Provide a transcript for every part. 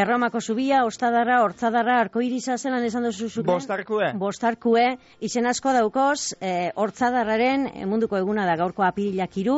Erromako zubia, Ostadarra, Hortzadarra, Arkoiriza zelan esan duzu zuken? Bostarkue, izen asko daukoz, Hortzadarraren munduko eguna da gaurko apirilak 3,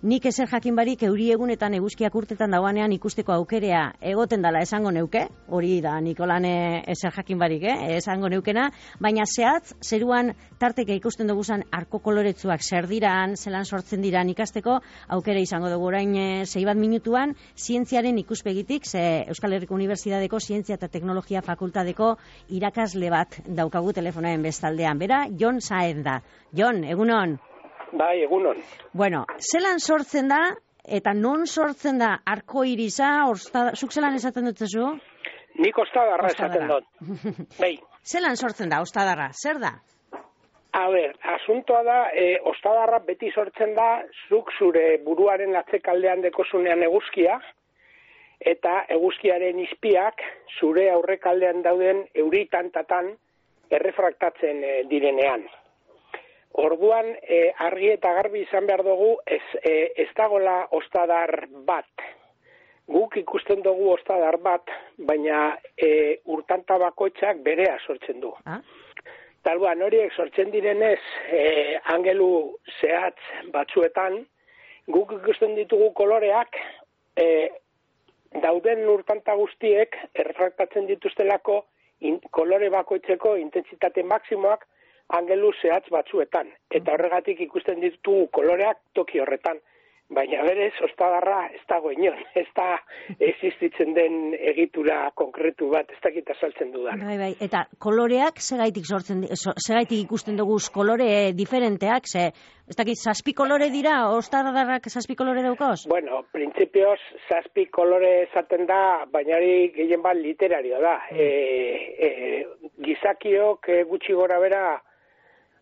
nik ezer jakin barik euri egunetan eguzkiak urtetan dauanean ikusteko aukerea egoten dala esango neuke, hori da Nikolane ezer jakin barik, esango neukena, baina zehatz, zeruan tarteka ikusten duguzan arko koloretsuak zer diran, zelan sortzen diran ikasteko, aukera izango dugu orain 6 bat minutuan, zientziaren ikuspegitik, ze Euskal Herriko Unibertsitateko Zientzia eta Teknologia Fakultateko irakasle bat daukagu telefonoen bestaldean. Bera, Jon Saez da. Jon, egunon? Bai, egunon. Bueno, zelan sortzen da, eta non sortzen da arkoiriza, zuk zelan esaten dutzezu? Nik Ostadarra esaten dut. Bai. Zelan sortzen da, Ostadarra, zer da? A ber, asuntoa da, Ostadarra beti sortzen da, zuk zure buruaren atzekaldean dekozunean eguzkia, eta eguzkiaren izpiak zure aurrekaldean dauden euritantatan errefraktatzen direnean. Orduan, argi eta garbi izan behar dugu, ez dagoela ostadar bat. Guk ikusten dugu ostadar bat, baina urtanta bakoitzak berea sortzen du. Talbuan, horiek sortzen direnez, angelu zehatz batzuetan, guk ikusten ditugu koloreak, dauden urtanta guztiek errefraktatzen dituztelako kolore bakoitzeko intentsitate maksimoak angelu zehatz batzuetan. Eta horregatik ikusten ditugu koloreak toki horretan. Baina berez, Ostadarra ez dago inon, ez da existitzen den egitura konkretu bat, ez dakit azaltzen dudan. Bai, eta koloreak segaitik ikusten dugu kolore diferenteak, ez dakit, 7 kolore dira, Ostadarrak 7 kolore daukoz? Bueno, printzipioz 7 kolore esaten da, baina hori gehien bat literario da. Gizakiok gutxi gora bera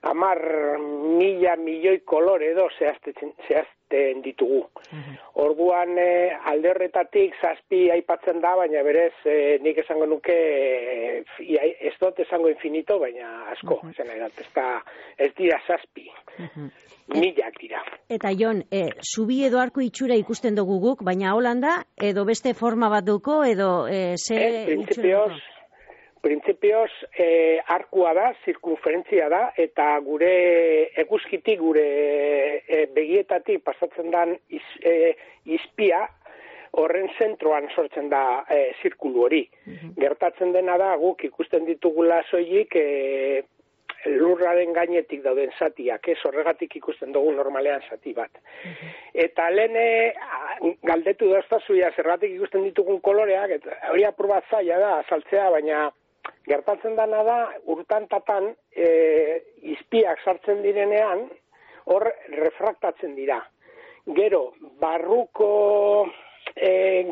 10.000 milioi kolore edo zehazten ditugu. Orduan alde horretatik 7 aipatzen da, baina berez nik esango nuke ez dut esango infinito, baina asko. Ez dira 7. Milak dira. Eta Jon, zubi edo arko itxura ikusten dugu guk, baina Holanda edo beste forma bat duko edo Printzipioz, arkua da, zirkunferentzia da, eta gure eguzkitik, gure begietatik pasatzen den izpia, horren zentroan sortzen da zirkulu hori. Gertatzen dena da, guk ikusten ditugula soilik lurraren gainetik dauden zatiak, horregatik ikusten dugu normalean zati bat. Eta lehen galdetu doztazuia zergatik ikusten ditugun koloreak, eta hori apur bat zaila da, azaltzea, baina gertatzen dena da, urtantatan izpiak sartzen direnean, hor refraktatzen dira. Gero, barruko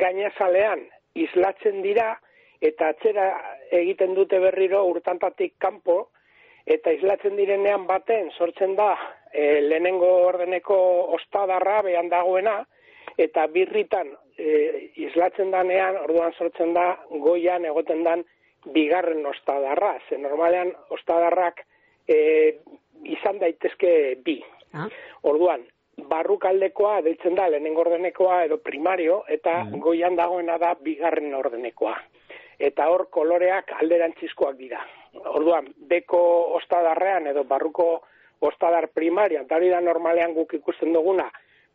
gainazalean islatzen dira, eta atzera egiten dute berriro urtantatik kanpo, eta islatzen direnean baten sortzen da lehenengo ordeneko Ostadarra behan dagoena, eta birritan islatzen danean, orduan sortzen da goian egoten dan bigarren Ostadarra, ze normalean Ostadarrak izan daitezke 2. Orduan, barrukaldekoa deitzen da lehenengo ordenekoa edo primario, eta goian dagoena da bigarren ordenekoa. Eta hor koloreak alderantzizkoak dira. Orduan, beko Ostadarrean edo barruko Ostadar primaria, eta hori da normalean guk ikusten duguna,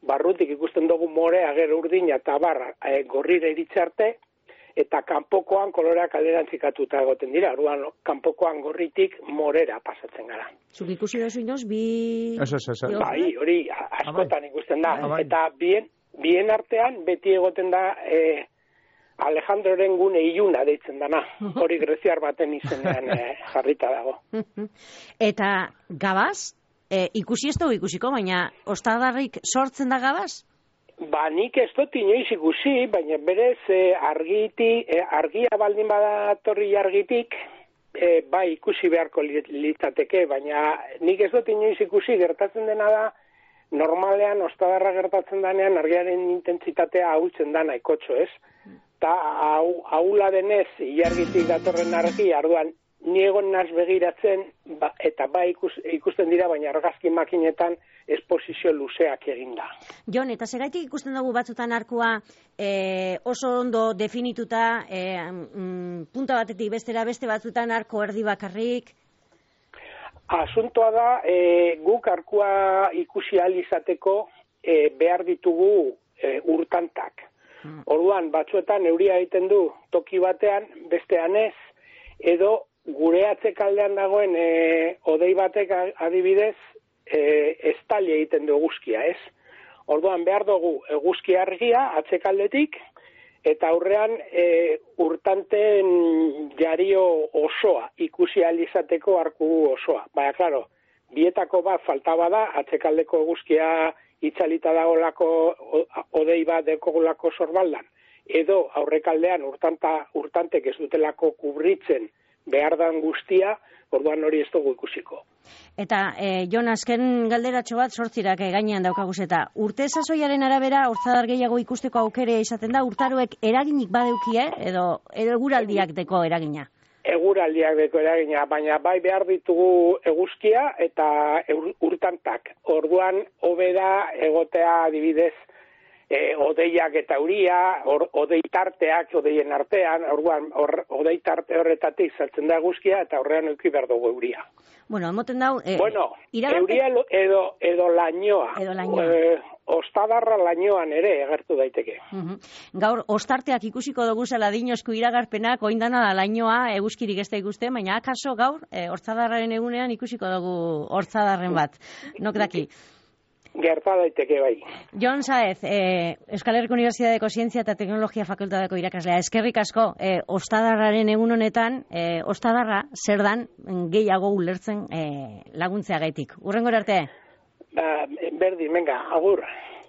barrutik ikusten dugu morea, gero urdina eta barra gorrira iritsi arte, eta kanpokoan koloreak alderantzikatuta egoten dira. Orduan, kanpokoan gorritik morera pasatzen gara. Zuk ikusi dozu inoz, Bai, hori askotan ikusten da. Eta bien artean beti egoten da Alejandroren gune iluna deitzen dana. Hori greziar baten izenean jarrita dago. Eta gabaz? Ikusi ez dugu ikusiko, baina Ostadarrik sortzen da gabaz? Nik ez dut inoiz ikusi, baina berez argia baldin badatorri argitik, bai ikusi beharko litzateke, baina nik ez dut inoiz ikusi, gertatzen dena da, normalean Ostadarra gertatzen denean argiaren intentsitatea ahultzen da nahikotxo, ez? Eta ahula denez, ilargitik datorren argia, orduan ni egon naz begiratzen, eta ikusten dira, baina argazki makinetan esposizio luzeak eginda. Jon, eta zeraitik ikusten dugu batzutan arkua oso ondo definituta, punta batetik bestera, beste batzutan arko erdi bakarrik? Asuntoa da, guk arkua ikusi ahal izateko behar ditugu urtantak. Orduan, batzuetan euria egiten du toki batean, bestean ez, edo gure atzekaldean dagoen odei batek adibidez, estali egiten du eguzkia, ez? Orduan, behar dugu eguzki argia atzekaldetik, eta aurrean urtanten jario osoa, ikusi ahal izateko arku osoa. Baina, klaro, bietako bat faltaba da, atzekaldeko eguzkia itzalita dagoelako odei bat dekogulako sorbaldan, edo aurrekaldean urtantek ez dutelako kubritzen behar dan guztia, orduan hori ez dugu ikusiko. Eta, Jon, azken galderatxo bat sortzirak gainean daukaguz eta urte sasoiaren arabera hortzadar gehiago ikusteko aukere izaten da, urtaroek eraginik badeukie, edo eguraldiak deko eragina? Eguraldiak deko eragina, baina bai behar ditugu eguzkia eta urtantak. Orduan, hobe da egotea adibidez odeiak eta euria, odei tarteak, odeien artean, orduan, odei tarte horretatik saltzen da eguzkia eta horrean euki behar dugu euria. Bueno, emoten dau... euria edo lainoa. Ostadarra lainoan ere egertu daiteke. Gaur, ostarteak ikusiko dugu zela dinozko iragarpenak, oindana da lainoa, eguzkirik ez da ikusten, baina akaso gaur, hortzadarraren egunean ikusiko dugu hortzadarren bat. Nok daki? Gerta daiteke bai. Jon Saez, Euskal Herriko Unibertsitateko Zientzia eta Teknologia Fakultateko irakaslea, eskerrik asko, ostadarraren egun honetan, ostadarra zer dan gehiago ulertzen laguntzeagaitik. Hurrengora arte? Berdin, venga, agur.